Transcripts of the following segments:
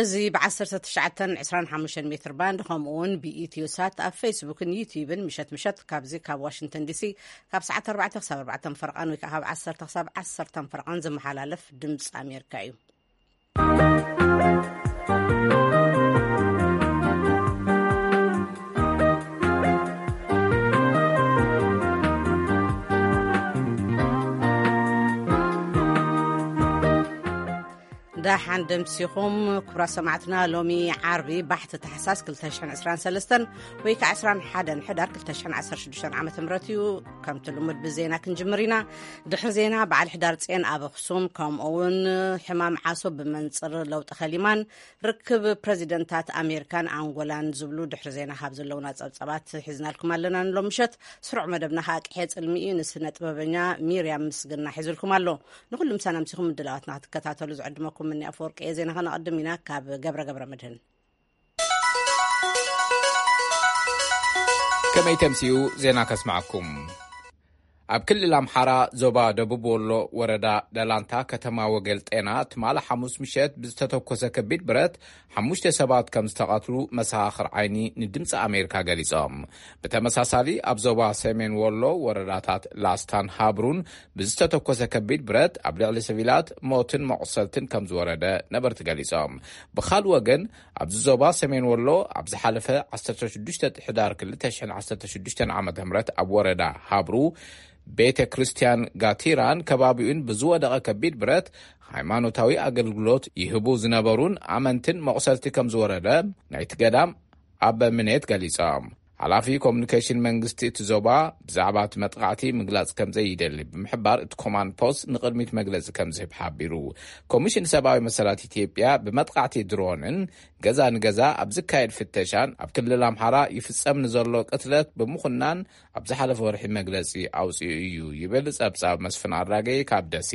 እዚ ብ1925 ሜትር ባንድ፣ ከምኡ እውን ብኢትዮ ሳት ኣብ ፌስቡክን ዩቲዩብን፣ ምሸት ምሸት ካብዚ ካብ ዋሽንግተን ዲሲ ካብ ሰዓት ኣርባዕተ ክሳብ ኣርባዕተ ፈረቓን ወይ ከዓ ካብ ዓሰርተ ክሳብ ዓሰርተ ፈረቓን ዝመሓላለፍ ድምፂ ኣሜሪካ እዩ። ደሓን ደምሲኹም ክቡራት ሰማዕትና። ሎሚ ዓርቢ ባሕቲ ታሕሳስ ክልተ ሽሕን ዕስራን ሰለስተን ወይ ከዓ ዕስራን ሓደን ሕዳር ክልተ ሽሕን ዓሰርተ ሽዱሽተን ዓመተ ምህረት እዩ። ከምቲ ልሙድ ብዜና ክንጅምር ኢና። ድሕሪ ዜና በዓል ሕዳር ጼን ኣብ ኣኽሱም፣ ከምኡ እውን ሕማም ዓሶ ብመንፅር ለውጢ ከሊማን ርክብ ፕረዚደንታት ኣሜሪካን ኣንጎላን ዝብሉ ድሕሪ ዜና ካብ ዘለውና ጸብጻባት ሒዝናልኩም ኣለና። ንሎም ምሸት ስሩዕ መደብና ከዓ ቅሔ ጽልሚ እዩ። ንስነ ጥበበኛ ሚርያም ምስግና ሒዙልኩም ኣሎ። ንኹሉ ምሳና ምሲኹም ምድላዋትና ክትከታተሉ ዝዕድመኩም ምኒ ኣፈወርቂ እየ። ዜና ከነቐድም ኢና ካብ ገብረ ገብረ መድህን። ከመይ ተምስዩ ዜና ከስማዕኩም። ኣብ ክልል ኣምሓራ ዞባ ደቡብ ወሎ ወረዳ ደላንታ ከተማ ወገል ጤና ትማሊ ሓሙስ ምሸት ብዝተተኮሰ ከቢድ ብረት ሓሙሽተ ሰባት ከም ዝተቐትሉ መሰኻኽር ዓይኒ ንድምፂ ኣሜሪካ ገሊጾም። ብተመሳሳሊ ኣብ ዞባ ሰሜን ወሎ ወረዳታት ላስታን ሃብሩን ብዝተተኮሰ ከቢድ ብረት ኣብ ልዕሊ ሲቪላት ሞትን መቑሰልትን ከም ዝወረደ ነበርቲ ገሊጾም። ብኻልእ ወገን ኣብዚ ዞባ ሰሜን ወሎ ኣብ ዝሓለፈ ዓሰርተ ሽዱሽተ ሕዳር ክልተ ሽሕን ዓሰርተ ሽዱሽተን ዓመተ ምህረት ኣብ ወረዳ ሃብሩ ቤተ ክርስቲያን ጋቲራን ከባቢኡን ብዝወደቐ ከቢድ ብረት ሃይማኖታዊ ኣገልግሎት ይህቡ ዝነበሩን ኣመንትን መቑሰልቲ ከም ዝወረደ ናይቲ ገዳም ኣበ ምኔት ገሊጾም። ሓላፊ ኮሙኒኬሽን መንግስቲ እቲ ዞባ ብዛዕባ እቲ መጥቓዕቲ ምግላጽ ከም ዘይደሊ ብምሕባር፣ እቲ ኮማንድ ፖስት ንቕድሚት መግለጺ ከም ዝህብ ሓቢሩ። ኮሚሽን ሰብኣዊ መሰላት ኢትዮጵያ ብመጥቓዕቲ ድሮንን ገዛ ንገዛ ኣብ ዝካየድ ፍተሻን ኣብ ክልል ኣምሓራ ይፍጸም ንዘሎ ቅትለት ብምኹናን ኣብ ዝሓለፈ ወርሒ መግለጺ ኣውጺኡ እዩ ይብል ጸብጻብ መስፍን ኣራጌ ካብ ደሴ።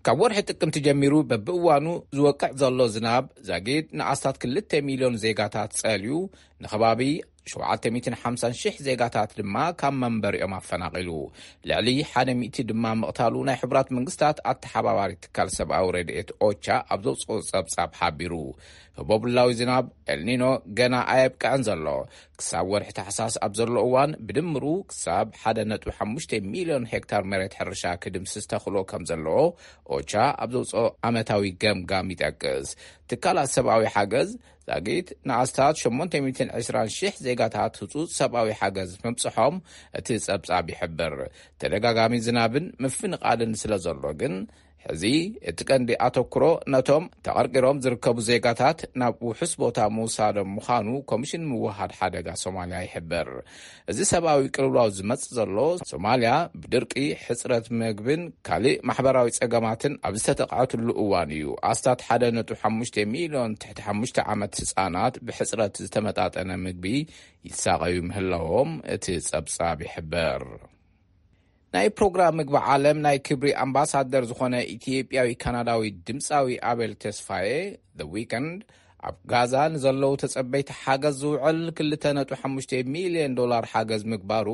ካብ ወርሒ ጥቅምቲ ጀሚሩ በብእዋኑ ዝወቅዕ ዘሎ ዝናብ ዛጊድ ንኣስታት ክልተ ሚልዮን ዜጋታት ጸልዩ፣ ንከባቢ ሸውዓተ ሚእትን ሓምሳን ሽሕ ዜጋታት ድማ ካብ መንበሪኦም ኣፈናቒሉ፣ ልዕሊ ሓደ ሚእቲ ድማ ምቕታሉ ናይ ሕቡራት መንግስታት ኣተሓባባሪ ትካል ሰብኣዊ ረድኤት ኦቻ ኣብ ዘውፅኦ ጸብጻብ ሓቢሩ። ህቦብላዊ ዝናብ ኤልኒኖ ገና ኣየብቅዐን ዘሎ። ክሳብ ወርሒ ታሕሳስ ኣብ ዘሎ እዋን ብድምሩ ክሳብ ሓደ ነጥቢ ሓሙሽተ ሚልዮን ሄክታር መሬት ሕርሻ ክድምስስ ተኽእሎ ከም ዘለዎ ኦቻ ኣብ ዘውፅኦ ዓመታዊ ገምጋም ይጠቅስ። ትካላት ሰብኣዊ ሓገዝ ዛጊት ንኣስታት ሸሞንተ ሚእትን ዕስራን ሽሕ ዜጋታት ህጹጽ ሰብኣዊ ሓገዝ ምብጽሖም እቲ ጸብጻብ ይሕብር። ተደጋጋሚ ዝናብን ምፍንቓልን ስለ ዘሎ ግን፣ ሕዚ እቲ ቀንዲ ኣተኩሮ ነቶም ተቐርቂሮም ዝርከቡ ዜጋታት ናብ ውሑስ ቦታ ምውሳዶም ምዃኑ ኮሚሽን ምውሃድ ሓደጋ ሶማልያ ይሕብር። እዚ ሰብኣዊ ቅልውላው ዝመጽእ ዘሎ፣ ሶማልያ ብድርቂ፣ ሕጽረት ምግብን ካልእ ማሕበራዊ ጸገማትን ኣብ ዝተጠቕዐትሉ እዋን እዩ። ኣስታት ሓደ ነጥቢ ሓሙሽተ ሚልዮን ትሕቲ ሓሙሽተ ዓመት ህጻናት ብሕጽረት ዝተመጣጠነ ምግቢ ይሳቐዩ ምህላዎም እቲ ጸብጻብ ይሕብር። ናይ ፕሮግራም ምግቢ ዓለም ናይ ክብሪ ኣምባሳደር ዝኾነ ኢትዮጵያዊ ካናዳዊ ድምፃዊ ኣቤል ተስፋዬ፣ The Weeknd፣ ኣብ ጋዛ ንዘለዉ ተጸበይቲ ሓገዝ ዝውዕል ክልተ ነጥቢ ሓሙሽተ ሚልዮን ዶላር ሓገዝ ምግባሩ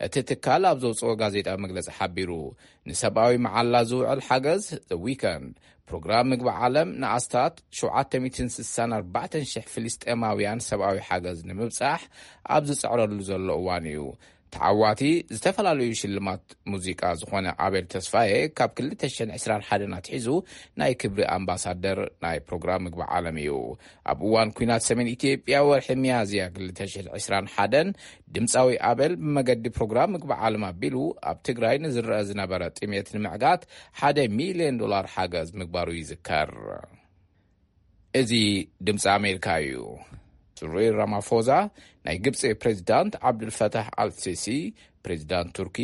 እቲ ትካል ኣብ ዘውፅኦ ጋዜጣ መግለጺ ሓቢሩ። ንሰብኣዊ መዓላ ዝውዕል ሓገዝ፣ The Weeknd፣ ፕሮግራም ምግቢ ዓለም ንኣስታት ሸውዓተ ሚእትን ስሳን ኣርባዕተን ሽሕ ፍልስጤማውያን ሰብኣዊ ሓገዝ ንምብጻሕ ኣብ ዝጽዕረሉ ዘሎ እዋን እዩ። ተዓዋቲ ዝተፈላለዩ ሽልማት ሙዚቃ ዝኾነ ኣቤል ተስፋዬ፣ ካብ ክልተ ሽሕን ዕስራን ሓደን ኣትሒዙ ናይ ክብሪ ኣምባሳደር ናይ ፕሮግራም ምግቢ ዓለም እዩ። ኣብ እዋን ኲናት ሰሜን ኢትዮጵያ፣ ወርሒ ሚያዝያ ክልተ ሽሕን ዕስራን ሓደን፣ ድምፃዊ ኣቤል ብመገዲ ፕሮግራም ምግቢ ዓለም ኣቢሉ ኣብ ትግራይ ንዝረአ ዝነበረ ጥሜት ንምዕጋት ሓደ ሚልዮን ዶላር ሓገዝ ምግባሩ ይዝከር። እዚ ድምፂ ኣሜሪካ እዩ። ስሪል ራማፎዛ ናይ ግብፂ ፕሬዚዳንት ዓብዱልፈታሕ ኣልሲሲ፣ ፕሬዚዳንት ቱርኪ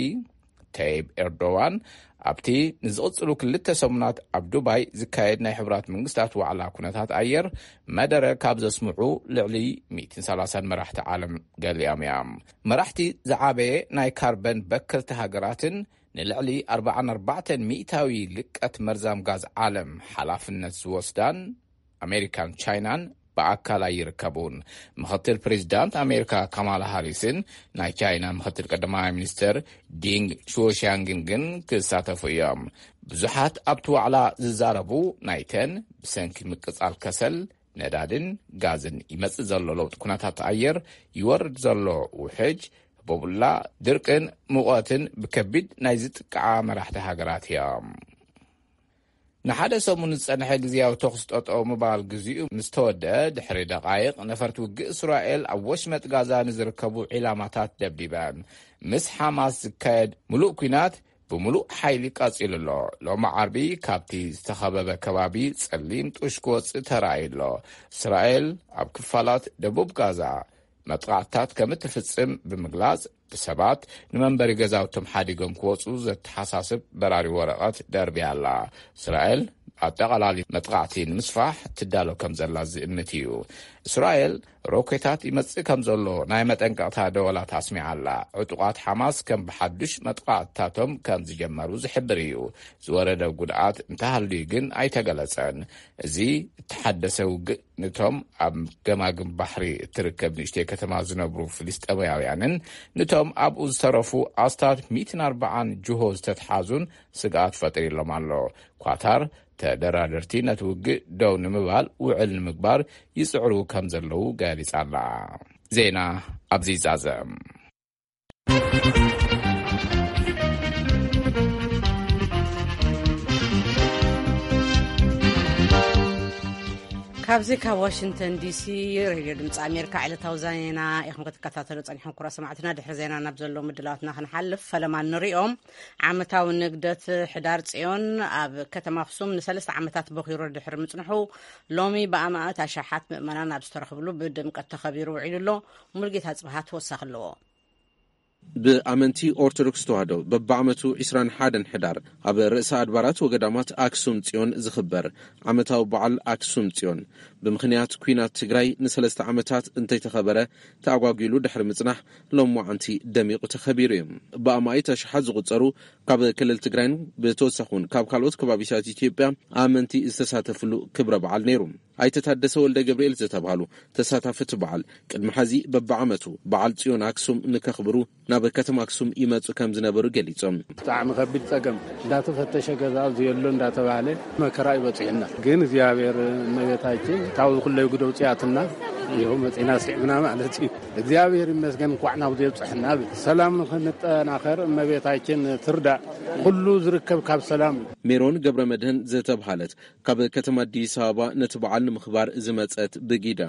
ተይብ ኤርዶዋን ኣብቲ ንዝቕፅሉ ክልተ ሰሙናት ኣብ ዱባይ ዝካየድ ናይ ሕቡራት መንግስታት ዋዕላ ኩነታት ኣየር መደረ ካብ ዘስምዑ ልዕሊ ሚእትን ሰላሳን መራሕቲ ዓለም ገሊኦም እዮም። መራሕቲ ዝዓበየ ናይ ካርበን በከልቲ ሃገራትን ንልዕሊ ኣርባዓን ኣርባዕተን ሚእታዊ ልቀት መርዛም ጋዝ ዓለም ሓላፍነት ዝወስዳን ኣሜሪካን ቻይናን ብኣካል ኣይርከቡን። ምኽትል ፕሬዚዳንት ኣሜሪካ ካማላ ሃሪስን ናይ ቻይና ምኽትል ቀዳማይ ሚኒስትር ዲንግ ሹዎሻንግን ግን ክሳተፉ እዮም። ብዙሓት ኣብቲ ዋዕላ ዝዛረቡ፣ ናይተን ብሰንኪ ምቅጻል ከሰል ነዳድን ጋዝን ይመጽእ ዘሎ ለውጢ ኩነታት ኣየር፣ ይወርድ ዘሎ ውሕጅ፣ ህቦቡላ፣ ድርቅን ሙቐትን ብከቢድ ናይ ዝጥቅዓ መራሕቲ ሃገራት እዮም። ንሓደ ሰሙን ዝጸንሐ ግዝያዊ ተኹሲ ጠጠው ምባል ግዚኡ ምስ ተወደአ ድሕሪ ደቓይቕ፣ ነፈርቲ ውግእ እስራኤል ኣብ ወሽመጥ ጋዛ ንዝርከቡ ዒላማታት ደብዲበን። ምስ ሓማስ ዝካየድ ምሉእ ኲናት ብምሉእ ሓይሊ ቀጺሉ ኣሎ። ሎሚ ዓርቢ ካብቲ ዝተኸበበ ከባቢ ጸሊም ጡሽ ክወጽእ ተራእዩ ኣሎ። እስራኤል ኣብ ክፋላት ደቡብ ጋዛ መጥቓዕትታት ከም እትፍጽም ብምግላጽ፣ ብሰባት ንመንበሪ ገዛውቶም ሓዲጎም ክወጹ ዘተሓሳስብ በራሪ ወረቐት ደርብያ ኣላ። እስራኤል ኣጠቓላሊ መጥቓዕቲ ንምስፋሕ ትዳሎ ከም ዘላ ዝእምት እዩ። እስራኤል ሮኬታት ይመጽእ ከም ዘሎ ናይ መጠንቀቕታ ደወላት ኣስሚዓ ኣላ። ዕጡቓት ሓማስ ከም ብሓዱሽ መጥቓዕትታቶም ከም ዝጀመሩ ዝሕብር እዩ። ዝወረደ ጉድኣት እንተሃልዩ ግን ኣይተገለጸን። እዚ እተሓደሰ ውግእ ነቶም ኣብ ገማግም ባሕሪ እትርከብ ንእሽተይ ከተማ ዝነብሩ ፍልስጤማውያንን ነቶም ኣብኡ ዝተረፉ ኣስታት ሚእትን ኣርባዓን ጅሆ ዝተትሓዙን ስግኣት ፈጢሩሎም ኣሎ። ኳታር ተደራደርቲ ነቲ ውግእ ደው ንምባል ውዕል ንምግባር ይጽዕሩ ከም ዘለዉ ገሊጻ ኣላ። ዜና ኣብዚ ይዛዘም። ካብዚ ካብ ዋሽንግተን ዲሲ ሬድዮ ድምፂ ኣሜሪካ ዕለታዊ ዜና ኢኹም ክትከታተሉ ጸኒሕኩም። ክቡራት ሰማዕትና፣ ድሕሪ ዜና ናብ ዘለዉ ምድላዋትና ክንሓልፍ፣ ፈለማ ንሪኦም። ዓመታዊ ንግደት ሕዳር ጽዮን ኣብ ከተማ ኣኽሱም ንሰለስተ ዓመታት በኺሩ ድሕሪ ምጽንሑ፣ ሎሚ ብኣማእት ኣሽሓት ምእመናን ኣብ ዝተረኽብሉ ብድምቀት ተኸቢሩ ውዒሉ ኣሎ። ሙሉጌታ ጽብሃ ተወሳኺ ኣለዎ። ብኣመንቲ ኦርቶዶክስ ተዋህዶ በብዓመቱ ዒስራን ሓደን ሕዳር ኣብ ርእሰ ኣድባራት ወገዳማት ኣክሱም ጽዮን ዝኽበር ዓመታዊ በዓል ኣክሱም ጽዮን፣ ብምኽንያት ኲናት ትግራይ ንሰለስተ ዓመታት እንተይተኸበረ ተኣጓጒሉ ድሕሪ ምጽናሕ፣ ሎማዓንቲ ደሚቑ ተኸቢሩ እዩ። ብኣማኢት ኣሽሓት ዝቑጸሩ ካብ ክልል ትግራይን ብተወሳኺ እውን ካብ ካልኦት ከባቢታት ኢትዮጵያ ኣመንቲ ዝተሳተፍሉ ክብረ በዓል ነይሩ። ኣይተ ታደሰ ወልደ ገብርኤል ዝተባህሉ ተሳታፊ እቲ በዓል፣ ቅድሚ ሐዚ በብዓመቱ በዓል ጽዮን ኣክሱም ንከኽብሩ ናብ ከተማ ኣክሱም ይመጹ ከም ዝነበሩ ገሊጾም። ብጣዕሚ ከቢድ ጸገም፣ እንዳተፈተሸ ገዛ ኣብዚ የሎ እንዳተባህለ መከራ እዩ በጺሕና። ግን እግዚኣብሔር እመቤታችን ካብዚ ኩለይ ጉድ ኣውጺኣትና፣ ይኸው መጺና ስዒብና ማለት እዩ። እግዚኣብሔር ይመስገን፣ እንኳዕ ናብዚ የብጽሐና። ሰላም ንኽንጠናኸር እመቤታችን ትርዳእ። ኩሉ ዝርከብ ካብ ሰላም እዩ። ሜሮን ገብረ መድህን ዝተብሃለት ካብ ከተማ ኣዲስ ኣበባ ነቲ በዓል ንምኽባር ዝመጸት ብጊዳ፣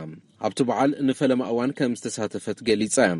ኣብቲ በዓል ንፈለማ እዋን ከም ዝተሳተፈት ገሊጻ እያ።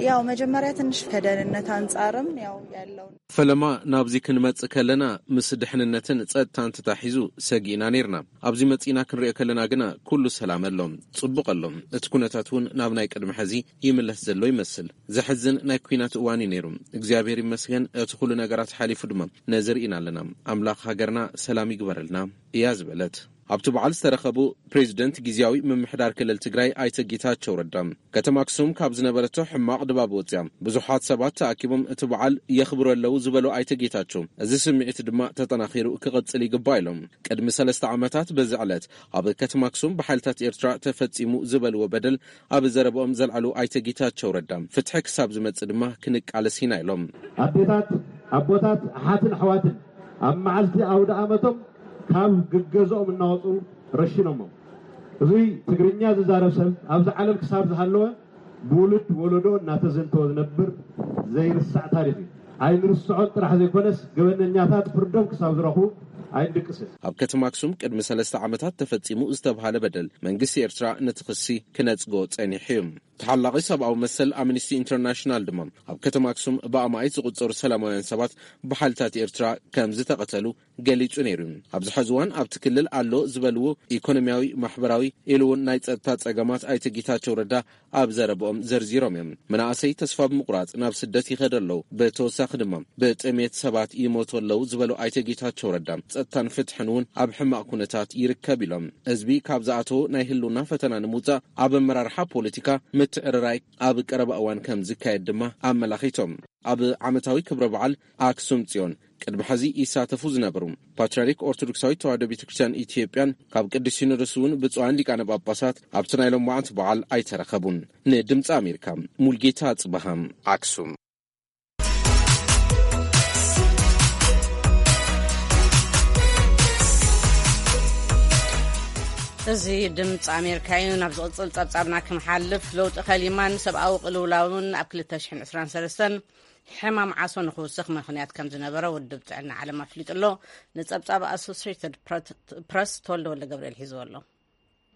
ያው መጀመሪያ ትንሽ ከደህንነት አንጻርም ያው ያለው ፈለማ ናብዚ ክንመጽእ ከለና ምስ ድሕንነትን ጸጥታን ተታሒዙ ሰጊእና ነይርና። ኣብዚ መጺእና ክንሪኦ ከለና ግና ኩሉ ሰላም ኣሎ፣ ጽቡቕ ኣሎ። እቲ ኩነታት እውን ናብ ናይ ቅድሚ ሐዚ ይምለስ ዘሎ ይመስል። ዘሕዝን ናይ ኲናት እዋን እዩ ነይሩ። እግዚኣብሔር ይመስገን፣ እቲ ኩሉ ነገራት ሓሊፉ ድማ ነዚ ርኢና ኣለና። ኣምላኽ ሃገርና ሰላም ይግበረልና እያ ዝበለት። ኣብቲ በዓል ዝተረኸቡ ፕሬዚደንት ግዝያዊ ምምሕዳር ክልል ትግራይ ኣይተ ጌታቸው ረዳ፣ ከተማ ኣክሱም ካብ ዝነበረቶ ሕማቕ ድባብ ወፅያ ብዙሓት ሰባት ተኣኪቦም እቲ በዓል የኽብሩ ኣለዉ ዝበሉ ኣይተ ጌታቸው፣ እዚ ስምዒት ድማ ተጠናኺሩ ክቕፅል ይግባእ ኢሎም። ቅድሚ ሰለስተ ዓመታት በዚ ዕለት ኣብ ከተማ ኣክሱም ብሓይልታት ኤርትራ ተፈጺሙ ዝበልዎ በደል ኣብ ዘረብኦም ዘልዓሉ ኣይተ ጌታቸው ረዳ፣ ፍትሒ ክሳብ ዝመጽእ ድማ ክንቃለስ ኢና ኢሎም። ኣዴታት፣ ኣቦታት፣ ኣሓትን ኣሕዋትን ኣብ መዓልቲ ኣውደ ኣመቶም ካብ ገገዝኦም እናወፁ ረሽኖሞም። እዚ ትግርኛ ዝዛረብ ሰብ ኣብዚ ዓለም ክሳብ ዝሃለወ ብውሉድ ወለዶ እናተዘንተወ ዝነብር ዘይርሳዕ ታሪኽ እዩ። ኣይንርስዖን ጥራሕ ዘይኮነስ፣ ገበነኛታት ፍርዶም ክሳብ ዝረኽቡ ኣይንድቅስን። ኣብ ከተማ ኣክሱም ቅድሚ ሰለስተ ዓመታት ተፈጺሙ ዝተብሃለ በደል፣ መንግስቲ ኤርትራ ነቲ ክሲ ክነጽጎ ጸኒሑ እዩ። ተሓላቒ ሰብኣዊ መሰል ኣምኒስቲ ኢንተርናሽናል ድማ፣ ኣብ ከተማ ኣክሱም ብኣማኢት ዝቑጸሩ ሰላማውያን ሰባት ብሓይልታት ኤርትራ ከም ዝተቐተሉ ገሊጹ ነይሩ። ኣብዚ ሕዚ እዋን ኣብቲ ክልል ኣሎ ዝበልዎ ኢኮኖሚያዊ፣ ማሕበራዊ፣ ኢሉ እውን ናይ ጸጥታ ጸገማት ኣይተ ጌታቸው ረዳ ኣብ ዘረብኦም ዘርዚሮም እዮም። መናእሰይ ተስፋ ብምቑራጽ ናብ ስደት ይኸዱ ኣለዉ። ብተወሳኺ ድማ ብጥሜት ሰባት ይሞቱ ኣለዉ ዝበሉ ኣይተ ጌታቸው ረዳ፣ ጸጥታን ፍትሕን እውን ኣብ ሕማቕ ኩነታት ይርከብ ኢሎም። ህዝቢ ካብ ዝኣተዎ ናይ ህልውና ፈተና ንምውጻእ ኣብ ኣመራርሓ ፖለቲካ ምትዕርራይ ኣብ ቀረባ እዋን ከም ዝካየድ ድማ ኣመላኺቶም። ኣብ ዓመታዊ ክብረ በዓል ኣክሱም ጽዮን ቅድሚ ሕዚ ይሳተፉ ዝነበሩ ፓትርያርክ ኦርቶዶክሳዊት ተዋሕዶ ቤተ ክርስቲያን ኢትዮጵያን ካብ ቅዱስ ሲኖዶስ እውን ብፁዓን ሊቃነ ጳጳሳት ኣብቲ ናይ ሎማዓንቲ በዓል ኣይተረኸቡን። ንድምፂ ኣሜሪካ ሙልጌታ ጽበሃም ኣክሱም። እዚ ድምፂ ኣሜሪካ እዩ። ናብ ዝቕፅል ፀብፃብና ክምሓልፍ፣ ለውጢ ከሊማን ሰብኣዊ ቅልውላውን ኣብ ክልተ ሽሕን ዕስራን ሰለስተን ሕማም ዓሶ ንክውስኽ ምኽንያት ከም ዝነበረ ውድብ ጥዕና ዓለም ኣፍሊጡ ኣሎ። ንፀብፃብ ኣሶሲየትድ ፕረስ ተወልደ ወልደ ገብርኤል ሒዝዎ ኣሎ።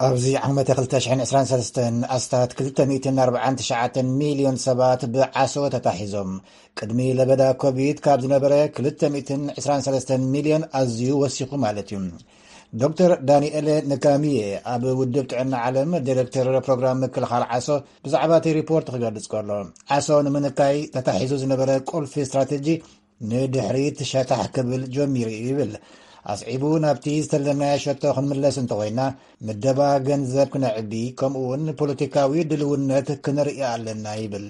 ኣብዚ ዓመተ ክልተ ሽሕን ዕስራን ሰለስተን ኣስታት ክልተ ሚእትን ኣርባዓን ትሽዓተን ሚልዮን ሰባት ብዓሶ ተታሒዞም። ቅድሚ ለበዳ ኮቪድ ካብ ዝነበረ ክልተ ሚእትን ዕስራን ሰለስተን ሚልዮን ኣዝዩ ወሲኹ ማለት እዩ። ዶክተር ዳንኤል ንካሚየ ኣብ ውድብ ጥዕና ዓለም ዲሬክተር ፕሮግራም ምክልኻል ዓሶ ብዛዕባ እቲ ሪፖርት ክገልጽ ከሎ፣ ዓሶ ንምንካይ ተታሒዙ ዝነበረ ቁልፊ ስትራቴጂ ንድሕሪት ሸታሕ ክብል ጀሚሩ እዩ ይብል። ኣስዒቡ፣ ናብቲ ዝተለምናዮ ሸቶ ክንምለስ እንተኾይና፣ ምደባ ገንዘብ ክነዕቢ፣ ከምኡ እውን ፖለቲካዊ ድልውነት ክንርኢ ኣለና ይብል።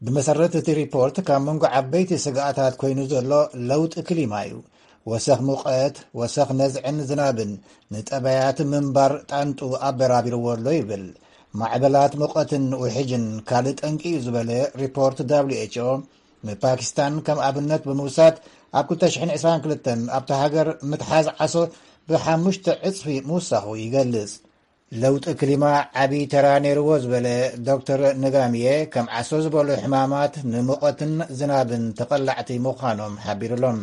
ብመሰረት እቲ ሪፖርት፣ ካብ መንጎ ዓበይቲ ስግኣታት ኮይኑ ዘሎ ለውጢ ክሊማ እዩ። ወሰኽ ሙቐት፣ ወሰኽ ነዝዕን ዝናብን ንጠባያት ምንባር ጣንጡ ኣበራቢርዎ ኣሎ ይብል። ማዕበላት ሙቐትን ውሕጅን ካልእ ጠንቂ እዩ ዝበለ ሪፖርት ደብሊው ኤች ኦ፣ ንፓኪስታን ከም ኣብነት ብምውሳድ፣ ኣብ ክልተ ሽሕን ዕስራን ክልተን ኣብታ ሃገር ምትሓዝ ዓሶ ብሓሙሽተ ዕጽፊ ምውሳኹ ይገልጽ። ለውጢ ክሊማ ዓቢ ተራ ነይርዎ ዝበለ ዶክተር ንጋምየ፣ ከም ዓሶ ዝበሉ ሕማማት ንሙቐትን ዝናብን ተቐላዕቲ ምዃኖም ሓቢሩሎም።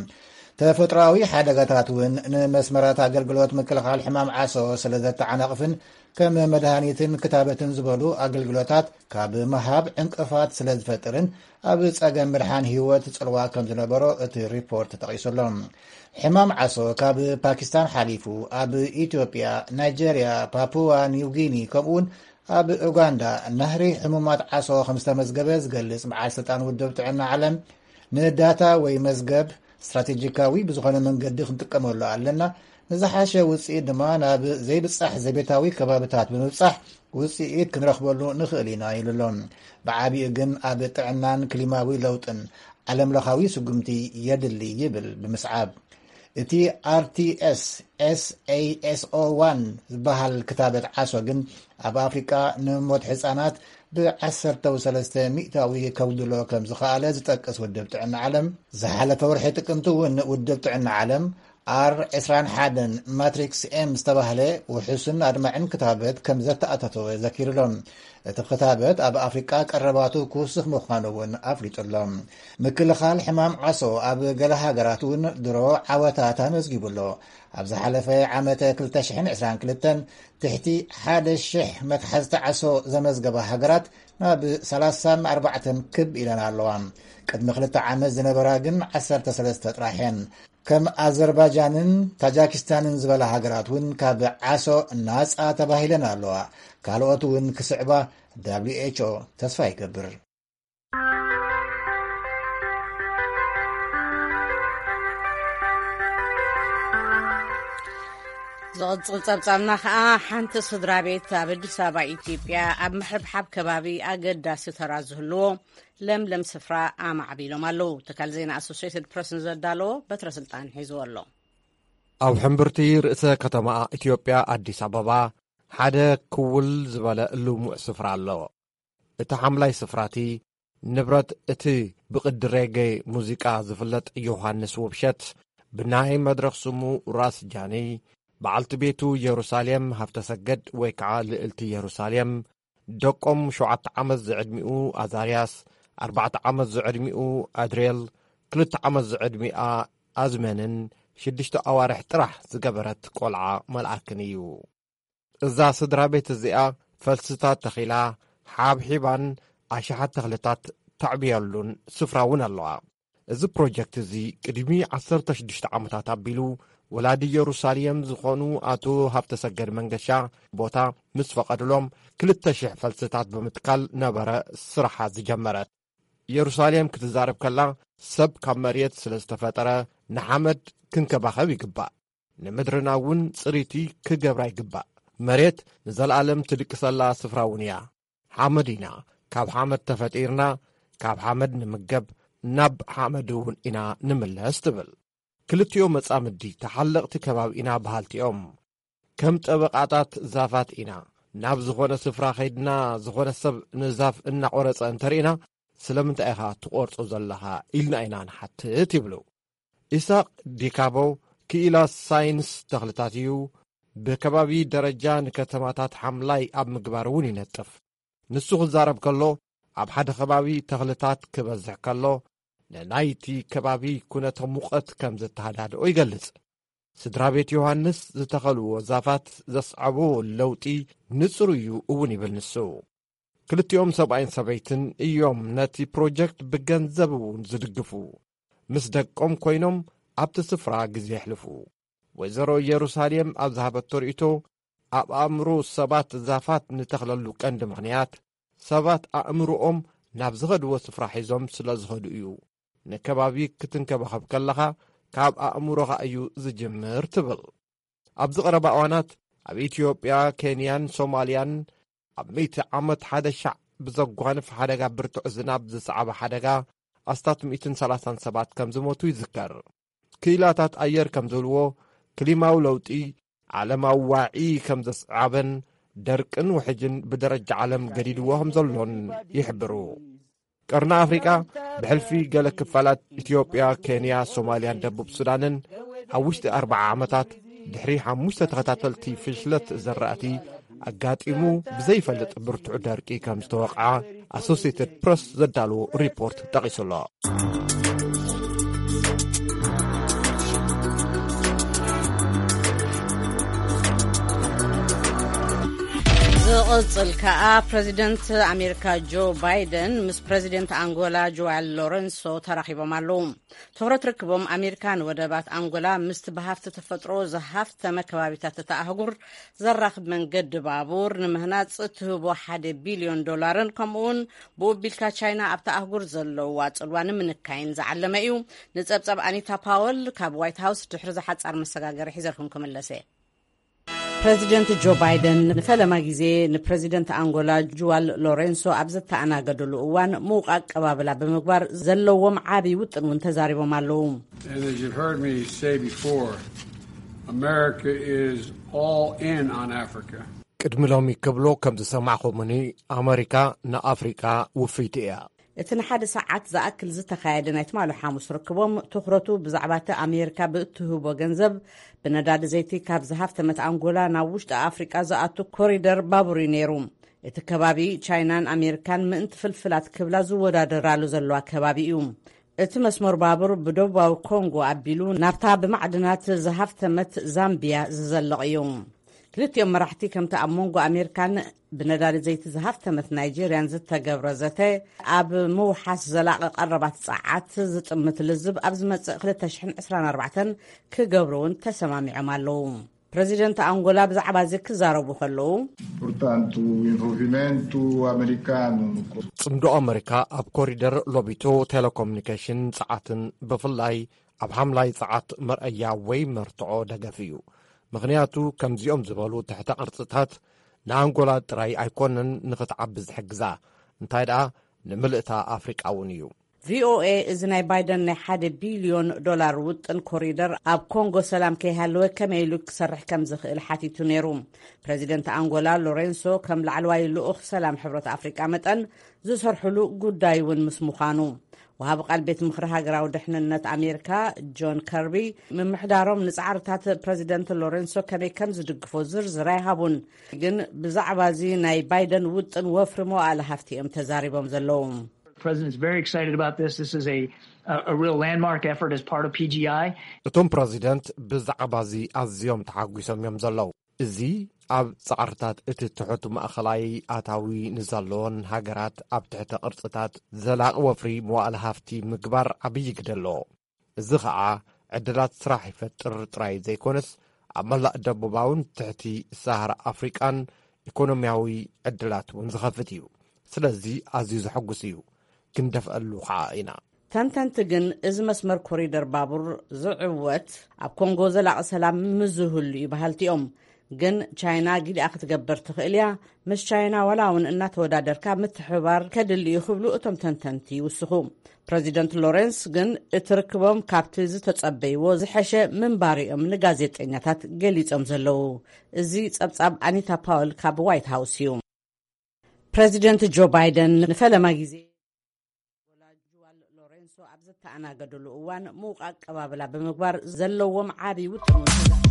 ተፈጥሮኣዊ ሓደጋታት እውን ንመስመራት ኣገልግሎት ምክልኻል ሕማም ዓሶ ስለ ዘተዓናቕፍን ከም መድሃኒትን ክታበትን ዝበሉ ኣገልግሎታት ካብ ምሃብ ዕንቅፋት ስለ ዝፈጥርን ኣብ ጸገም ምድሓን ህይወት ጽልዋ ከም ዝነበሮ እቲ ሪፖርት ተጠቒሱ ኣሎ። ሕማም ዓሶ ካብ ፓኪስታን ሓሊፉ ኣብ ኢትዮጵያ፣ ናይጀርያ፣ ፓፑዋ ኒው ጊኒ ከምኡውን ኣብ ኡጋንዳ ናህሪ ሕሙማት ዓሶ ከም ዝተመዝገበ ዝገልጽ በዓል ስልጣን ውድብ ጥዕና ዓለም፣ ንዳታ ወይ መዝገብ ስትራቴጂካዊ ብዝኾነ መንገዲ ክንጥቀመሉ ኣለና። ንዝሓሸ ውፅኢት ድማ ናብ ዘይብፃሕ ዘቤታዊ ከባብታት ብምብፃሕ ውፅኢት ክንረኽበሉ ንኽእል ኢና ኢሉ ኣሎ። ብዓቢኡ ግን ኣብ ጥዕናን ክሊማዊ ለውጥን ዓለምለኻዊ ስጉምቲ የድሊ ይብል ብምስዓብ። እቲ ኣርቲኤስ ኤስኤኤስኦ ዋን ዝበሃል ክታበት ዓሶ ግን ኣብ ኣፍሪቃ ንሞት ህጻናት ብ ዓሰርተ ሰለስተ ሚእታዊ ከጉድሎ ከም ዝኸኣለ ዝጠቅስ ውድብ ጥዕና ዓለም፣ ዝሓለፈ ወርሒ ጥቅምቲ እውን ውድብ ጥዕና ዓለም ኣር ዕስራን ሓደን ማትሪክስ ኤም ዝተባህለ ውሑስን ኣድማዕን ክታበት ከም ዘተኣታተወ ዘኪሩሎም። እቲ ክታበት ኣብ ኣፍሪቃ ቀረባቱ ክውስኽ ምዃኑ እውን ኣፍሊጡሎም። ምክልኻል ሕማም ዓሶ ኣብ ገለ ሃገራት እውን ድሮ ዓወታት ኣመዝጊቡ ኣሎ። ኣብ ዝሓለፈ ዓመተ ክልተ ሽሕን ዕስራን ክልተን ትሕቲ ሓደ ሽሕ መትሓዝቲ ዓሶ ዘመዝገባ ሃገራት ናብ ሰላሳን ኣርባዕተን ክብ ኢለን ኣለዋ። ቅድሚ ክልተ ዓመት ዝነበራ ግን ዓሰርተ ሰለስተ ጥራሕ እየን። ከም ኣዘርባጃንን ታጃኪስታንን ዝበላ ሃገራት እውን ካብ ዓሶ ናጻ ተባሂለን ኣለዋ። ካልኦት እውን ክስዕባ ደብሊው ኤች ኦ ተስፋ ይገብር። ዝቕጽል ጸብጻብና ኸኣ፣ ሓንቲ ስድራ ቤት ኣብ ኣዲስ ኣበባ ኢትዮጵያ ኣብ ምሕብሓብ ከባቢ ኣገዳሲ ተራ ዝህልዎ ለምለም ስፍራ ኣማዕቢሎም ኣለዉ። ትካል ዜና ኣሶሲየትድ ፕረስ ንዘዳለዎ በትረ ስልጣን ሒዝዎ ኣሎ። ኣብ ሕምብርቲ ርእሰ ከተማ ኢትዮጵያ ኣዲስ ኣበባ ሓደ ክውል ዝበለ ልሙዕ ስፍራ ኣሎ። እቲ ሓምላይ ስፍራቲ ንብረት እቲ ብቕዲ ሬጌ ሙዚቃ ዝፍለጥ ዮሃንስ ውብሸት፣ ብናይ መድረኽ ስሙ ራስ ጃኒ፣ በዓልቲ ቤቱ የሩሳሌም ሃብተሰገድ ወይ ከዓ ልእልቲ የሩሳሌም፣ ደቆም ሸውዓተ ዓመት ዝዕድሚኡ ኣዛርያስ፣ ኣርባዕተ ዓመት ዝዕድሚኡ ኣድሬል፣ ክልተ ዓመት ዝዕድሚኣ ኣዝመንን ሽዱሽተ ኣዋርሕ ጥራሕ ዝገበረት ቆልዓ መልኣክን እዩ። እዛ ስድራ ቤት እዚኣ ፈልስታት ተኺላ፣ ሓብሒባን ኣሽሓት ተኽልታት ተዕብየሉን ስፍራ እውን ኣለዋ። እዚ ፕሮጀክት እዚ ቅድሚ ዓሰርተ ሽዱሽተ ዓመታት ኣቢሉ፣ ወላዲ የሩሳሌም ዝኾኑ ኣቶ ሃብተሰገድ መንገሻ ቦታ ምስ ፈቐድሎም፣ ክልተ ሽሕ ፈልስታት ብምትካል ነበረ ስራሓ ዝጀመረት። የሩሳሌም ክትዛረብ ከላ፣ ሰብ ካብ መሬት ስለ ዝተፈጠረ፣ ንሓመድ ክንከባኸብ ይግባእ። ንምድርና እውን ጽሪቲ ክገብራ ይግባእ። መሬት ንዘለኣለም ትድቅሰላ ስፍራ እውን እያ። ሓመድ ኢና፣ ካብ ሓመድ ተፈጢርና፣ ካብ ሓመድ ንምገብ፣ ናብ ሓመድ እውን ኢና ንምለስ ትብል። ክልቲኦ መጻምዲ ተሓለቕቲ ከባቢ ኢና በሃልቲ እዮም። ከም ጠበቓታት ዛፋት ኢና። ናብ ዝኾነ ስፍራ ኸይድና፣ ዝኾነ ሰብ ንዛፍ እናቖረጸ እንተርኢና፣ "ስለምንታይ ኢኻ ትቖርጾ ዘለኻ?" ኢልና ኢና ንሓትት ይብሉ። ኢሳቕ ዲካቦ ክኢላ ሳይንስ ተኽልታት እዩ። ብከባቢ ደረጃ ንከተማታት ሓምላይ ኣብ ምግባር እውን ይነጥፍ። ንሱ ክዛረብ ከሎ፣ ኣብ ሓደ ከባቢ ተኽልታት ክበዝሕ ከሎ፣ ንናይቲ ከባቢ ኩነተ ሙቐት ከም ዘተሃዳድኦ ይገልጽ። ስድራ ቤት ዮሃንስ ዝተኸልዎ ዛፋት ዘስዓቦ ለውጢ ንጹር እዩ እውን ይብል ንሱ። ክልቲኦም ሰብኣይን ሰበይትን እዮም ነቲ ፕሮጀክት ብገንዘብ እውን ዝድግፉ። ምስ ደቆም ኮይኖም ኣብቲ ስፍራ ግዜ የሕልፉ። ወይዘሮ ኢየሩሳሌም ኣብ ዝሃበቶ ርእይቶ፣ ኣብ ኣእምሮ ሰባት ዛፋት ንተኽለሉ ቀንዲ ምኽንያት፣ ሰባት ኣእምሮኦም ናብ ዝኸድዎ ስፍራ ሒዞም ስለ ዝኸዱ እዩ። ንከባቢ ክትንከባኸብ ከለኻ፣ ካብ ኣእምሮኻ እዩ ዝጅምር ትብል። ኣብዚ ቀረባ እዋናት ኣብ ኢትዮጵያ፣ ኬንያን ሶማልያን ኣብ ሚእቲ ዓመት ሓደ ሻዕ ብዘጓንፍ ሓደጋ ብርቱዕ ዝናብ ዝሰዓበ ሓደጋ ኣስታት ሚእትን ሰላሳን ሰባት ከም ዝሞቱ ይዝከር። ክኢላታት ኣየር ከም ዝብልዎ፣ ክሊማዊ ለውጢ ዓለማዊ ዋዒ ከም ዘስዓበን ደርቅን ውሕጅን ብደረጃ ዓለም ገዲድዎ ከም ዘሎን ይሕብሩ። ቀርኒ ኣፍሪቃ ብሕልፊ ገለ ክፋላት ኢትዮጵያ፣ ኬንያ፣ ሶማልያን ደቡብ ሱዳንን ኣብ ውሽጢ ኣርብዓ ዓመታት ድሕሪ ሓሙሽተ ተኸታተልቲ ፍሽለት ዘራእቲ ኣጋጢሙ ብዘይፈልጥ ብርቱዕ ደርቂ ከም ዝተወቕዓ ኣሶሲየትድ ፕረስ ዘዳለዎ ሪፖርት ጠቒሱ ኣሎ። ዝቕጽል ከኣ ፕረዚደንት ኣሜሪካ ጆ ባይደን ምስ ፕረዚደንት ኣንጎላ ጆዋል ሎረንሶ ተራኺቦም ኣለዉ። ትኹረት ርክቦም ኣሜሪካ ንወደባት ኣንጎላ ምስቲ ብሃፍቲ ተፈጥሮ ዝሃፍተመ ከባቢታት እታ ኣህጉር ዘራኽብ መንገዲ ባቡር ንምህናጽ እትህቦ ሓደ ቢልዮን ዶላርን ከምኡውን ብኡ ኣቢልካ ቻይና ኣብታ ኣህጉር ዘለዋ ጽልዋ ንምንካይን ዝዓለመ እዩ። ንጸብጻብ ኣኒታ ፓወል ካብ ዋይት ሃውስ ድሕሪ ዝሓጻር መሰጋገሪ ሒዘልኩም ክምለሰ። ፕረዚደንት ጆ ባይደን ንፈለማ ግዜ ንፕረዚደንት ኣንጎላ ጁዋል ሎሬንሶ ኣብ ዘተኣናገድሉ እዋን ምዉቕ ኣቀባብላ ብምግባር ዘለዎም ዓቢ ውጥን እውን ተዛሪቦም ኣለዉ። And as you've heard me say before, America is all in on Africa. ቅድሚ ሎሚ ክብሎ ከም ዝሰማዕኹምኒ፣ ኣመሪካ ንኣፍሪቃ ውፍይቲ እያ። እቲ ንሓደ ሰዓት ዝኣክል ዝተኻየደ ናይ ትማሊ ሓሙስ ርክቦም ትኹረቱ ብዛዕባ እቲ ኣሜሪካ ብእትህቦ ገንዘብ ብነዳዲ ዘይቲ ካብ ዝሃፍተመት ኣንጎላ ናብ ውሽጢ ኣፍሪቃ ዝኣቱ ኮሪደር ባቡር እዩ ነይሩ። እቲ ከባቢ ቻይናን ኣሜሪካን ምእንቲ ፍልፍላት ክብላ ዝወዳደራሉ ዘለዋ ከባቢ እዩ። እቲ መስመር ባቡር ብደቡባዊ ኮንጎ ኣቢሉ ናብታ ብማዕድናት ዝሃፍተመት ዛምቢያ ዝዘልቕ እዩ። ክልቲኦም መራሕቲ ከምቲ ኣብ መንጎ ኣሜሪካን ብነዳዲ ዘይቲ ዝሃፍተመት ናይጄርያን ዝተገብረ ዘተ ኣብ ምውሓስ ዘላቒ ቀረባት ጸዓት ዝጥምት ልዝብ ኣብ ዝመጽእ ክልተ ሽሕን ዕስራን ኣርባዕተን ክገብሩ እውን ተሰማሚዖም ኣለዉ። ፕረዚደንት ኣንጎላ ብዛዕባ እዚ ክዛረቡ ከለዉ፣ Portanto, o envolvimento americano no co- ጽምዶ ኣመሪካ ኣብ ኮሪደር ሎቢቶ፣ ቴሌኮሙኒኬሽን፣ ጸዓትን ብፍላይ ኣብ ሓምላይ ጸዓት መርኣያ ወይ መርትዖ ደገፍ እዩ። ምኽንያቱ ከምዚኦም ዝበሉ ትሕተ ቅርጽታት ንኣንጎላ ጥራይ ኣይኮነን ንኽትዓቢ ዝሕግዛ፣ እንታይ ደኣ ንምልእታ ኣፍሪቃ እውን እዩ። ቪኦኤ እዚ ናይ ባይደን ናይ ሓደ ቢልዮን ዶላር ውጥን ኮሪደር ኣብ ኮንጎ ሰላም ከይሃለወ ከመይ ኢሉ ክሰርሕ ከም ዝኽእል ሓቲቱ ነይሩ። ፕረዚደንት ኣንጎላ ሎሬንሶ ከም ላዕለዋይ ልኡኽ ሰላም ሕብረት ኣፍሪቃ መጠን ዝሰርሕሉ ጉዳይ እውን ምስ ምዃኑ፣ ወሃቢ ቃል ቤት ምኽሪ ሃገራዊ ድሕንነት ኣሜሪካ ጆን ከርቢ ምምሕዳሮም ንጻዕርታት ፕረዚደንት ሎሬንሶ ከመይ ከም ዝድግፎ ዝርዝር ኣይሃቡን። ግን ብዛዕባ እዚ ናይ ባይደን ውጥን ወፍሪ መዋእለ ሃፍቲ እዮም ተዛሪቦም ዘለዉ። President's very excited about this. This is a, a real landmark effort as part of P G I. እቶም ፕረዚደንት ብዛዕባ እዚ ኣዝዮም ተሓጒሶም እዮም ዘለዉ። እዚ ኣብ ጻዕርታት እቲ ትሑት ማእኸላይ ኣታዊ ንዘለዎን ሃገራት ኣብ ትሕተ ቅርጽታት ዘላቒ ወፍሪ መዋእለ ሃፍቲ ምግባር ዓብዪ ግደ ኣለዎ። እዚ ኸኣ ዕድላት ስራሕ ይፈጥር ጥራይ ዘይኮነስ፣ ኣብ መላእ ደቡባውን ትሕቲ ሳሃራ ኣፍሪቃን ኢኮኖሚያዊ ዕድላት እውን ዝኸፍት እዩ። ስለዚ ኣዝዩ ዘሐጉስ እዩ። ክንደፍኣሉ ኸኣ ኢና። ተንተንቲ ግን፣ እዚ መስመር ኮሪደር ባቡር ዝዕወት ኣብ ኮንጎ ዘላቒ ሰላም ምስ ዝህሉ እዩ በሃልቲ እዮም። ግን ቻይና ጊዲኣ ክትገብር ትኽእል እያ። ምስ ቻይና ዋላ እውን እናተወዳደርካ ምትሕብባር ከድሊ እዩ ክብሉ እቶም ተንተንቲ ይውስኹ። ፕረዚደንት ሎረንስ ግን እቲ ርክቦም ካብቲ ዝተጸበይዎ ዝሐሸ ምንባሪኦም ንጋዜጠኛታት ገሊጾም ዘለዉ። እዚ ጸብጻብ ኣኒታ ፓውል ካብ ዋይት ሃውስ እዩ። ፕረዚደንት ጆ ባይደን ንፈለማ ግዜ ሎሬንሶ ኣብ ዝተኣናገደሉ እዋን ምዉቕ ኣቀባብላ ብምግባር ዘለዎም ዓቢ ውጥን እውን ተዛሪቦም።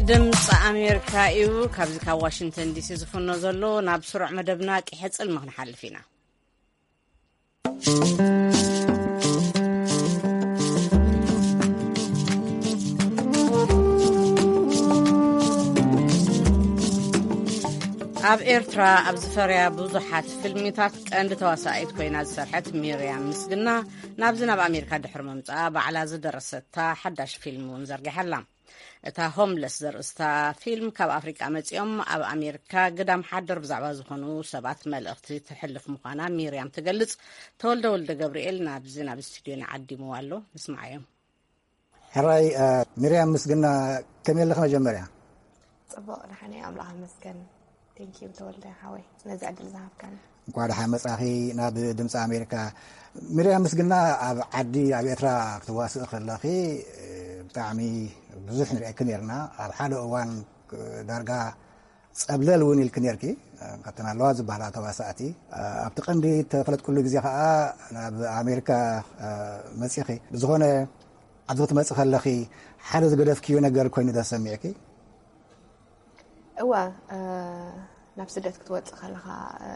ድምፂ ኣሜሪካ እዩ። ካብዚ ካብ ዋሽንግተን ዲሲ ዝፍኖ ዘሎ ናብ ስሩዕ መደብና ቂሐ ፅልሚ ክንሓልፍ ኢና። ኣብ ኤርትራ ኣብ ዝፈርያ ብዙሓት ፊልሚታት ቀንዲ ተዋሳኢት ኮይና ዝሰርሐት ሚርያም ምስግና ናብዚ ናብ ኣሜሪካ ድሕሪ ምምጻኣ ባዕላ ዝደረሰታ ሓዳሽ ፊልም እውን ዘርጊሓ ኣላ። እታ ሆምለስ ዘርእስታ ፊልም ካብ ኣፍሪቃ መጺኦም ኣብ ኣሜሪካ ግዳም ሓደር ብዛዕባ ዝኾኑ ሰባት መልእኽቲ ትሕልፍ ምዃና ሚርያም ትገልጽ። ተወልደ ወልደ ገብርኤል ናብዚ ናብ ስቱድዮና ዓዲምዋ ኣሎ። ንስምዓዮም። ሕራይ ሚርያም ምስግና፣ ከመይ ኣለኺ መጀመርያ? ጽቡቕ፣ ደሓን እየ፣ ኣምላኽ ይመስገን። ቴንኪዩ ተወልደ ሓወይ ነዚ ዕድል ዝሃብካኒ። እንኳዕ ደሓን መጻኺ ናብ ድምፂ ኣሜሪካ። ሚርያም ምስግና፣ ኣብ ዓዲ ኣብ ኤርትራ ክትዋስእ ከለኺ ብጣዕሚ ብዙሕ ንሪአኪ ነርና። ኣብ ሓደ እዋን ዳርጋ ጸብለል እውን ኢልኪ ነርኪ፣ ካብተን ኣለዋ ዝበሃላ ተዋሳእቲ። ኣብቲ ቀንዲ ተፈለጥኩሉ ግዜ ከዓ ናብ ኣሜሪካ መጺኺ። ብዝኾነ ኣብዚ ክትመጺ ከለኺ ሓደ ዝገደፍክዮ ነገር ኮይኑ ተሰሚዕኪ? እወ፣ እ፣ ናብ ስደት ክትወጽእ ከለኻ፣ እ፣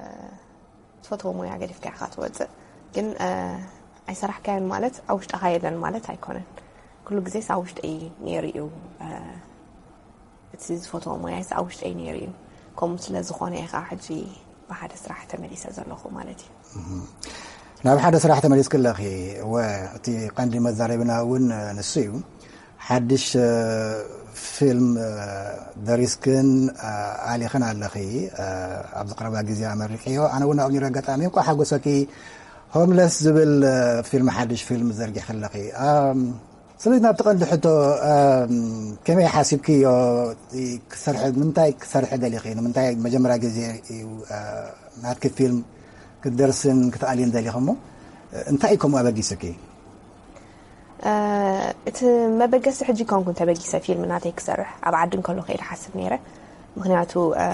ትፈትዎ ሞያ ገዲፍካ ኢኻ ትወጽእ። ግን፣ እ፣ ኣይሰራሕካዮን ማለት ኣብ ውሽጥኻ የለን ማለት ኣይኮነን። ኩሉ ግዜስ ኣብ ውሽጠይ ነይሩ እዩ። እ፣ እቲ ዝፈትዎ ሞያስ ኣብ ውሽጠይ ነይሩ እዩ። ከምኡ ስለ ዝኾነ ኢኻ ሕጂ ብሓደ ስራሕ ተመሊሰ ዘለኹ ማለት እዩ። ናብ ሓደ ስራሕ ተመሊስኪ ኣለኺ። እወ፣ እቲ ቀንዲ መዛረብና እውን ንሱ እዩ። ሓድሽ፣ እ፣ ፊልም፣ እ፣ ደሪስክን፣ እ፣ ኣሊኽን ኣለኺ። እ፣ ኣብዚ ቀረባ ግዜ ኣመሪቅዮ። ኣነ እውን ኣብኡ ነይረ ኣጋጣሚ። እንኳዕ ሓጎሰኪ። ሆምለስ ዝብል፣ እ፣ ፊልም፣ ሓድሽ ፊልም ዘርጊሕኪ ኣለኺ። ኣም፣ ስለዚ ናብቲ ቀንዲ ሕቶ፣ ኣም፣ ከመይ ሓሲብክዮ? ክሰርሐ፣ ንምንታይ ክሰርሐ ደሊኺ? ንምንታይ መጀመርያ ግዜ እዩ፣ እ፣ ናትኪ ፊልም ክትደርስን ክትኣልይን ደሊኺ እሞ፣ እ፣ እንታይ እዩ ከምኡ ኣበጊስኪ? እ፣ እቲ መበገሲ ሕጂ ኮንኩን ተበጊሰ ፊልም ናተይ ክሰርሕ ኣብ ዓዲ እንከሎ ከይደ ሓስብ ነይረ። ምኽንያቱ፣ እ፣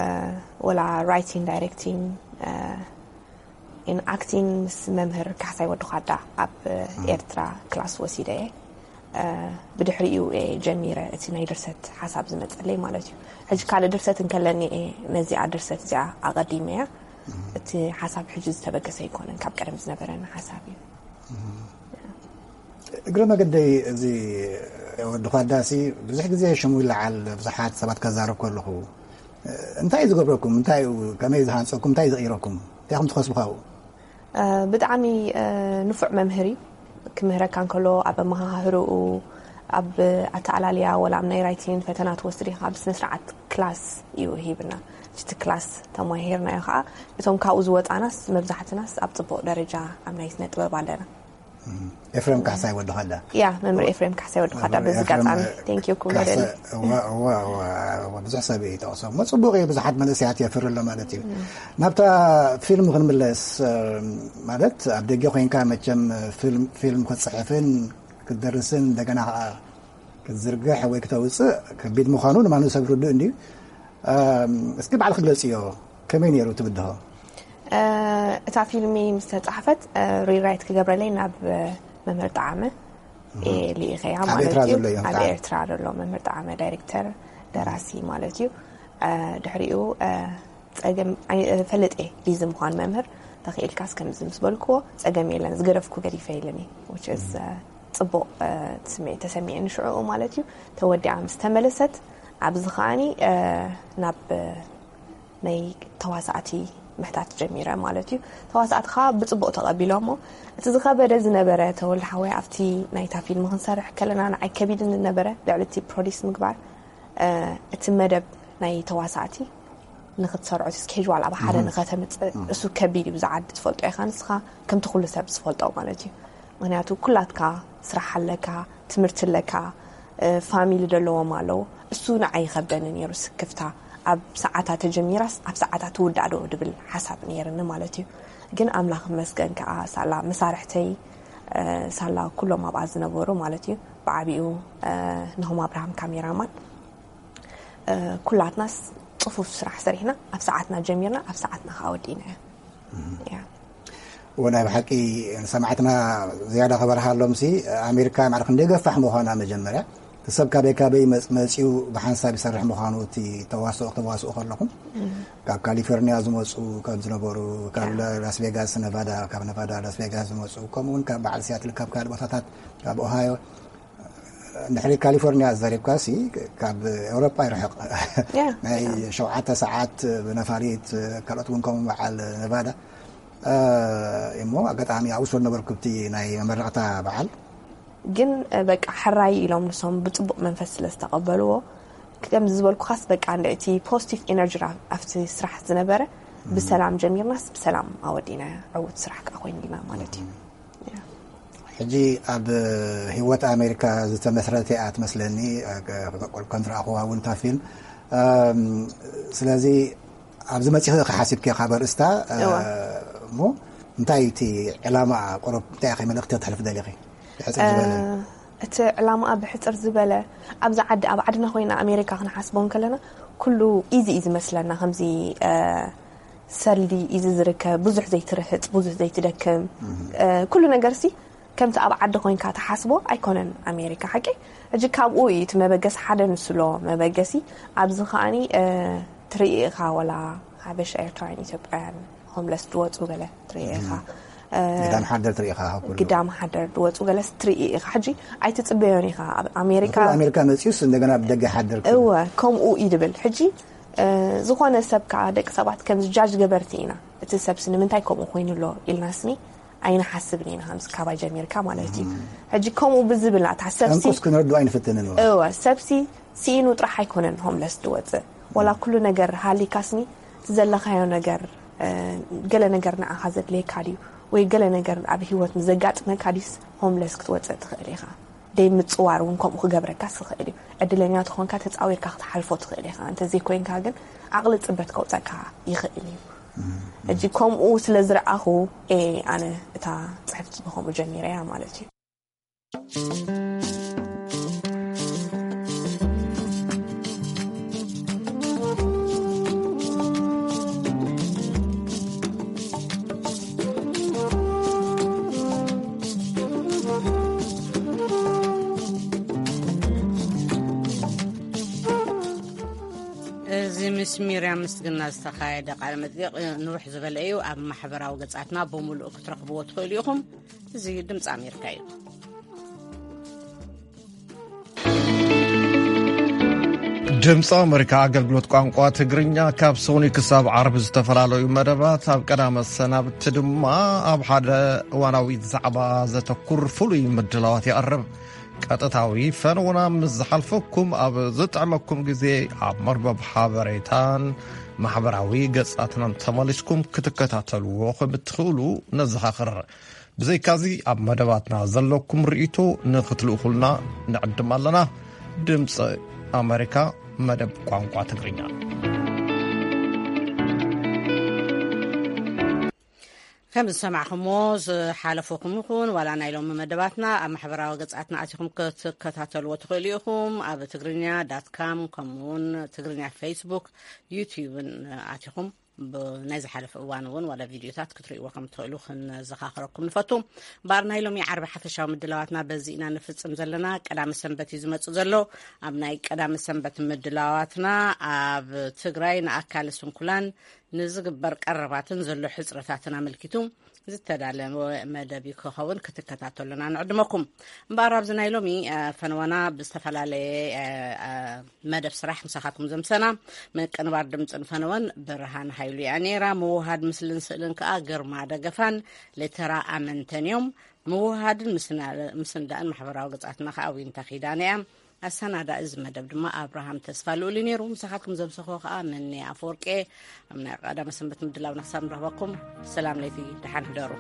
ወላ ራይቲንግ፣ ዳይሬክቲንግ፣ እ፣ ኢን ኣክቲንግ ምስ መምህር ካሕሳይ ወዲ ኳዳ ኣብ ኤርትራ ክላስ ወሲደ እየ። እ፣ ብድሕሪኡ እየ ጀሚረ እቲ ናይ ድርሰት ሓሳብ ዝመጸለይ ማለት እዩ። ሕጂ ካልእ ድርሰት እንከለኒ እየ ነዚኣ ድርሰት እዚኣ ኣቐዲመያ። እቲ ሓሳብ ሕጂ ዝተበገሰ ኣይኮነን፣ ካብ ቀደም ዝነበረኒ ሓሳብ እዩ። እግረ መገደይ፣ እዚ ወዲ ኳዳሲ ብዙሕ ግዜ ሽሙ ይለዓል፣ ብዙሓት ሰባት ከዛረብ ከለኹ፣ እንታይ እዩ ዝገብረኩም? እንታይ እዩ፣ ከመይ ዝሃንጸኩም? እንታይ እዩ ዝቕይረኩም? እንታይ ኢኹም ትኸስቡ ካብኡ? እ፣ ብጣዕሚ፣ እ፣ ንፉዕ መምህር እዩ። ክምህረካ እንከሎ ኣብ ኣመሃህርኡ፣ ኣብ ኣተኣላልያ፣ ወላ ኣብ ናይ ራይቲንግ ፈተና ትወስድ ኢኻ፣ ብስነ ስርዓት ክላስ እዩ ሂብና። እቲ ክላስ ተማሂርናዮ ከዓ፣ እቶም ካብኡ ዝወፃናስ መብዛሕትናስ ኣብ ፅቡቕ ደረጃ ኣብ ናይ ስነ ጥበብ ኣለና። ኤፍሬም ካሕሳይ ወዲ ኳዳ። ያ፣ መምህር ኤፍሬም ካሕሳይ ወዲ ኳዳ። መምህር በዚ ኤፍሬም ኣጋጣሚ ቴንኪዩ ክብሎ ካሕሳይ፣ ደሊ። እዋ፣ እዋ፣ እዋ፣ እዋ፣ ብዙሕ ሰብ እዩ ይጠቕሶ። እሞ ጽቡቕ እዩ፣ ብዙሓት መንእሰያት የፍሪ ኣሎ ማለት እዩ። ናብታ ፊልም ክንምለስ፣ እ፣ ማለት ኣብ ደገ ኮይንካ መቸም ፊልም፣ ፊልም ክትጽሕፍን ክትደርስን እንደገና ኸዓ ክትዝርግሕ ወይ ክተውጽእ ከቢድ ምዃኑ ንማንም ሰብ ርዱእ እንድዩ። እ፣ እስኪ ባዕልኺ ግለጽዮ፣ ከመይ ነይሩ ትብድሆ? እ፣ እታ ፊልሚ ምስ ተጻሕፈት፣ እ፣ ሪራይት ክገብረለይ ናብ፣ እ፣ መምህር ጠዓመ እየ ልኢኸያ ኣብ ማለት ኤርትራ እዩ። ዘሎ እዮም ኣብ ከዓ? ኤርትራ ዘሎ መምህር ጠዓመ ዳይሬክተር፣ ደራሲ ማለት እዩ። እ፣ ድሕሪኡ፣ እ፣ ጸገም ኣይ-፣ እ፣ ፈልጥ እየ ቢዚ ምዃን መምህር፣ ተኽኢልካስ ከምዚ ምስ በልክዎ ጸገም የለን፣ ዝገደፍኩ ገዲፈ ኢለኒ። Which is፣ እ፣ ጽቡቕ፣ እ፣ ስምዒት ተሰሚዕኒ ሽዑኡ ማለት እዩ። ተወዲኣ ምስ ተመለሰት ኣብዚ ከዓኒ፣ እ፣ ናብ፣ እ፣ ናይ ተዋሳእቲ ምሕታት ጀሚረ ማለት እዩ። ተዋሳእቲ ከዓ ብጽቡቕ ተቐቢሎሞ። እቲ ዝኸበደ ዝነበረ ተወልደ ሓወይ ኣብቲ ናይታ ፊልም ክንሰርሕ ከለና ንዓይ ከቢድኒ ዝነበረ ልዕሊ እቲ ፕሮዲስ ምግባር፣ እ፣ እቲ መደብ ናይ ተዋሳእቲ ንክትሰርዖ እቲ ስኬጅዋል ኣብ ሓደ ንኸተምፅእ እሱ ከቢድ እዩ። ብዛ ዓዲ ትፈልጦ ኢኻ ንስኻ ከምቲ ኩሉ ሰብ ዝፈልጦ ማለት እዩ። ምክንያቱ ኩላትካ ስራሕ ኣለካ፣ ትምህርቲ ኣለካ፣ ፋሚሊ ዘለዎም ኣለዉ። እሱ ንዓይ ይኸብደኒ ነይሩ ስክፍታ። ኣብ ሰዓታ ተጀሚራስ ኣብ ሰዓታ ትውዳእ ዶ ድብል ሓሳብ ነይርኒ ማለት እዩ። ግን ኣምላኽ ይመስገን ከዓ ሳላ መሳርሕተይ ሳላ ኩሎም ኣብኣ ዝነበሩ ማለት እዩ። ብዓቢኡ ንሆም ኣብርሃም ካሜራማን ኩላትናስ ፅፉፍ ስራሕ ሰሪሕና ኣብ ሰዓትና ጀሚርና ኣብ ሰዓትና ከዓ ወዲእና እያ። ወናይ ብሓቂ ንሰማዕትና ዝያዳ ክበርሃሎም ሲ ኣሜሪካ ማዕረ ክንደይ ገፋሕ ምዃና መጀመርያ እቲ ሰብ ካበይ ካበይ መፅ- መፂኡ ብሓንሳብ ይሰርሕ ምዃኑ እቲ ተዋስኦ ክተዋስኡ ከለኹም ካብ ካሊፎርኒያ ዝመፁ ከም ዝነበሩ ካብ ላስ ቬጋስ ነቫዳ ካብ ነቫዳ ላስ ቬጋስ ዝመፁ ከምኡውን ካብ በዓል ሲያትል ካብ ካልእ ቦታታት ካብ ኦሃዮ ንድሕሪ ካሊፎርኒያ ዘሪብካ ሲ ካብ ኤውሮጳ ይርሕቕ ናይ ሸውዓተ ሰዓት ብነፋሪት ካልኦት እውን ከምኡ በዓል ነቫዳ እሞ ኣጋጣሚ ኣብኡ ስለ ነበርኩ ብቲ ናይ መመረቕታ በዓል ግን በቃ ሕራይ ኢሎም ንሶም ብፅቡቅ መንፈስ ስለ ዝተቀበልዎ ከምዚ ዝበልኩኻስ በቃ እንደ እቲ ፖዚቲቭ ኤነርጂ ኣብቲ ስራሕ ዝነበረ ብሰላም ጀሚርናስ ብሰላም ኣወዲና ዕውት ስራሕ ከዓ ኮይንልና ማለት እዩ። ሕጂ ኣብ ህይወት ኣሜሪካ ዝተመስረተ እያ ትመስለኒ ከም ዝረኣኹዋ እውን እታ ፊልም ስለዚ ኣብዚ መፂኺ ኢኺ ሓሲብኪ ካብ ኣርእስታ እሞ እንታይ እቲ ዕላማ ቁሩብ እንታይ ኢኺ መልእኽቲ ክተሕልፊ ደሊኺ ብሕፅር ዝበለ እቲ ዕላማኣ ብሕፅር ዝበለ ኣብዚ ዓዲ ኣብ ዓድና ኮይና ኣሜሪካ ክንሓስቦ እንከለና ኩሉ ኢዚ እዩ ዝመስለና ከምዚ ሰልዲ ኢዚ ዝርከብ ብዙሕ ዘይትርህፅ ብዙሕ ዘይትደክም ኩሉ ነገር ሲ ከምቲ ኣብ ዓዲ ኮይንካ ትሓስቦ ኣይኮነን ኣሜሪካ ሓቂ ሕጂ ካብኡ እዩ እቲ መበገሲ ሓደ ንስሎ መበገሲ ኣብዚ ከዓኒ ትርኢ ኢኻ ወላ ሓበሻ ኤርትራውያን ኢትዮጵያውያን ሆምለስ ዝወፁ ገለ ትርኢ ኢኻ ግዳም ሓደር ትርኢ ኢኻ ካብ ኩሉ ግዳም ሓደር ዝወፁ ገለስ ትርኢ ኢኻ ሕጂ ኣይትፅበዮን ኢኻ ኣብ ኣሜሪካ ንኩሉ ኣሜሪካ መፂኡስ እንደገና ብደገ ሓደር እወ ከምኡ እዩ ድብል ሕጂ ዝኾነ ሰብ ከዓ ደቂ ሰባት ከምዚ ጃጅ ገበርቲ ኢና እቲ ሰብሲ ንምንታይ ከምኡ ኮይኑ ኣሎ ኢልና ስኒ ኣይንሓስብን ኢና ከምዚ ካባይ ጀሚርካ ማለት እዩ ሕጂ ከምኡ ብዝብል ናታ ሰብሲ ጠንቁስ ክንረድኦ ኣይንፍትንን እወ እወ ሰብሲ ስኢኑ ጥራሕ ኣይኮነን ሆምለስ ዝወፅእ ወላ ኩሉ ነገር ሃሊካስኒ እቲ ዘለኻዮ ነገር ገለ ነገር ንዓኻ ዘድልየካ ድዩ ወይ ገለ ነገር ኣብ ህይወት ንዘጋጥመካ ድዩስ ሆምለስ ክትወፅእ ትኽእል ኢኻ ደይ ምፅዋር እውን ከምኡ ክገብረካስ ይኽእል እዩ ዕድለኛ ተኾንካ ተፃዊርካ ክትሓልፎ ትኽእል ኢኻ እንተዘይኮይንካ ግን ዓቕሊ ፅበት ከውፀካ ይኽእል እዩ ሕጂ ከምኡ ስለ ዝረኣኹ እየ ኣነ እታ ፅሕፍቲ ብኸምኡ ጀሚረያ ማለት እዩ እዚ ምስ ሚርያም ምስግና ዝተኻየደ ቃለ መጠይቕ ንውሕ ዝበለ እዩ። ኣብ ማሕበራዊ ገጻትና ብምሉእ ክትረኽብዎ ትኽእሉ ኢኹም። እዚ ድምፂ ኣሜሪካ እዩ። ድምፂ ኣሜሪካ ኣገልግሎት ቋንቋ ትግርኛ ካብ ሶኒ ክሳብ ዓርቢ ዝተፈላለዩ መደባት ኣብ ቀዳመ ሰናብቲ ድማ ኣብ ሓደ እዋናዊ ዛዕባ ዘተኩር ፍሉይ ምድላዋት የቕርብ። ቀጥታዊ ፈነውና ምስ ዝሓልፈኩም ኣብ ዝጥዕመኩም ግዜ ኣብ መርበብ ሓበሬታን ማሕበራዊ ገጻትናን ተመሊስኩም ክትከታተልዎ ከም እትኽእሉ ነዘኻኽር። ብዘይካዚ ኣብ መደባትና ዘለኩም ርእይቶ ንኽትልእኹልና ንዕድም ኣለና። ድምፂ ኣሜሪካ መደብ ቋንቋ ትግርኛ። ከም ዝሰማዕኹሞ ዝሓለፈኩም ይኹን ዋላ ናይ ሎሚ መደባትና ኣብ ማሕበራዊ ገጻትና ኣቲኹም ክትከታተልዎ ትኽእሉ ኢኹም። ኣብ ትግርኛ ዳት ካም ከምኡውን ትግርኛ ፌስቡክ ዩትዩብን ኣቲኹም ናይ ዝሓለፈ እዋን እውን ዋላ ቪድዮታት ክትርእይዎ ከም ትኽእሉ ክንዘኻኽረኩም ንፈቱ። እምበኣር ናይ ሎሚ ዓርቢ ሓፈሻዊ ምድላዋትና በዚ ኢና ንፍጽም ዘለና። ቀዳሚ ሰንበት እዩ ዝመጽእ ዘሎ። ኣብ ናይ ቀዳሚ ሰንበት ምድላዋትና ኣብ ትግራይ ንኣካለ ስንኩላን ንዝግበር ቀረባትን ዘሎ ሕፅረታትን ኣመልኪቱ ዝተዳለወ መደብ ክኸውን ክትከታተሉና ንዕድመኩም። እምበኣር ኣብዚ ናይ ሎሚ ፈነወና ብዝተፈላለየ መደብ ስራሕ ምሳኻትኩም ዘምሰና ምቅንባር ድምፅን ፈነወን ብርሃን ሃይሉ እያ ነይራ። ምውሃድ ምስልን ስእልን ከዓ ግርማ ደገፋን ሌተራ ኣመንተን እዮም። ምውሃድን ምስንዳእን ማሕበራዊ ገፃትና ከዓ ዊንታ ኪዳነ እያ። ኣሰናዳ እዚ መደብ ድማ ኣብርሃም ተስፋ ልኡል እዩ ነይሩ። ምሳኻትኩም ዘምሰኾ ከዓ መኒ ኣፈወርቄ። ኣብ ናይ ቀዳመ ሰንበት ምድላውና ክሳብ ንረኽበኩም፣ ሰላም ለይቲ፣ ደሓን ሕደሩ።